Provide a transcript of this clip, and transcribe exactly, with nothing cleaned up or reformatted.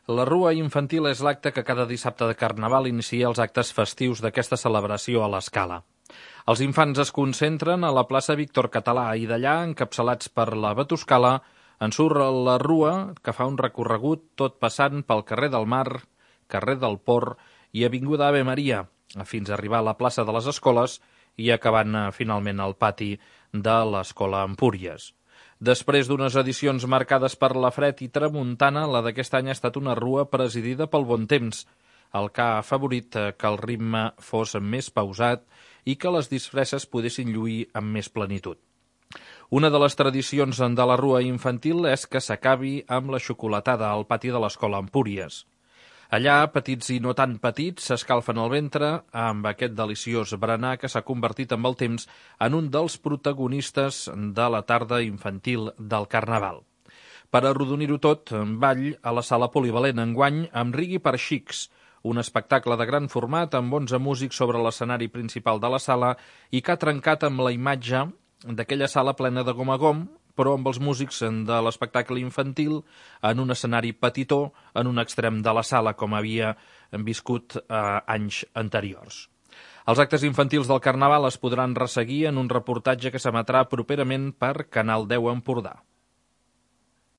La Rua Infantil és l'acte que cada dissabte de Carnaval inicia els actes festius d'aquesta celebració a l'Escala. Els infants es concentren a la plaça Víctor Català i d'allà, encapçalats per la Batuscala, en surt la Rua, que fa un recorregut tot passant pel carrer del Mar, carrer del Port i avinguda Ave Maria, fins a arribar a la plaça de les Escoles i acabant finalment al pati de l'Escola Empúries. Després d'unes edicions marcades per la fred i tramuntana, la d'aquest any ha estat una rua presidida pel bon temps, el que ha afavorit que el ritme fos més pausat i que les disfresses poguessin lluir amb més plenitud. Una de les tradicions de la Rua Infantil és que s'acabi amb la xocolatada al pati de l'Escola Empúries. Allà, petits i no tan petits, s'escalfen el ventre amb aquest deliciós berenar que s'ha convertit amb el temps en un dels protagonistes de la tarda infantil del Carnaval. Per arrodonir-ho tot, ball a la sala polivalent enguany amb Rigui per Xics, un espectacle de gran format amb onze músics sobre l'escenari principal de la sala i que ha trencat amb la imatge d'aquella sala plena de gom a gom, però amb els músics de l'espectacle infantil en un escenari petitó en un extrem de la sala, com havia viscut eh, anys anteriors. Els actes infantils del Carnaval es podran resseguir en un reportatge que s'emetrà properament per Canal deu Empordà.